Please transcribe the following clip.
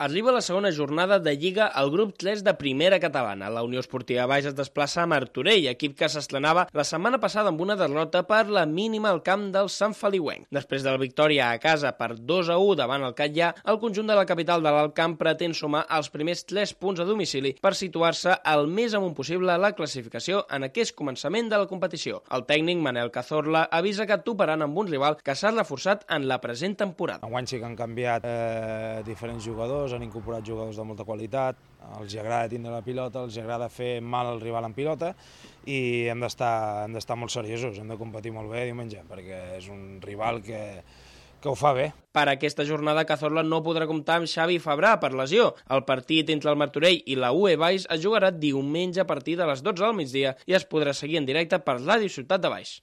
Arriba la segona jornada de Lliga al grup 3 de Primera Catalana. La Unió Esportiva Baix es desplaça a Martorell, equip que s'estrenava la setmana passada amb una derrota per la mínima al camp del Sant Feliuenc. Després de la victòria a casa per 2-1 davant el Catllà, el conjunt de la capital de l'Alt Camp pretén sumar els primers 3 punts a domicili per situar-se el més amunt possible a la classificació en aquest començament de la competició. El tècnic Manel Cazorla avisa que toparan amb un rival que s'ha reforçat en la present temporada. Enguany sí que han canviat diferents jugadors, han incorporat jugadors de molta qualitat, els agrada tindre la pilota, els agrada fer mal al rival en pilota i hem d'estar molt seriosos, hem de competir molt bé diumenge perquè és un rival que ho fa bé. Per aquesta jornada, Cazorla no podrà comptar amb Xavi Fabrà per lesió. El partit entre el Martorell i la UE Baix es jugarà diumenge a partir de les 12 del migdia i es podrà seguir en directe per Ràdio Ciutat de Baix.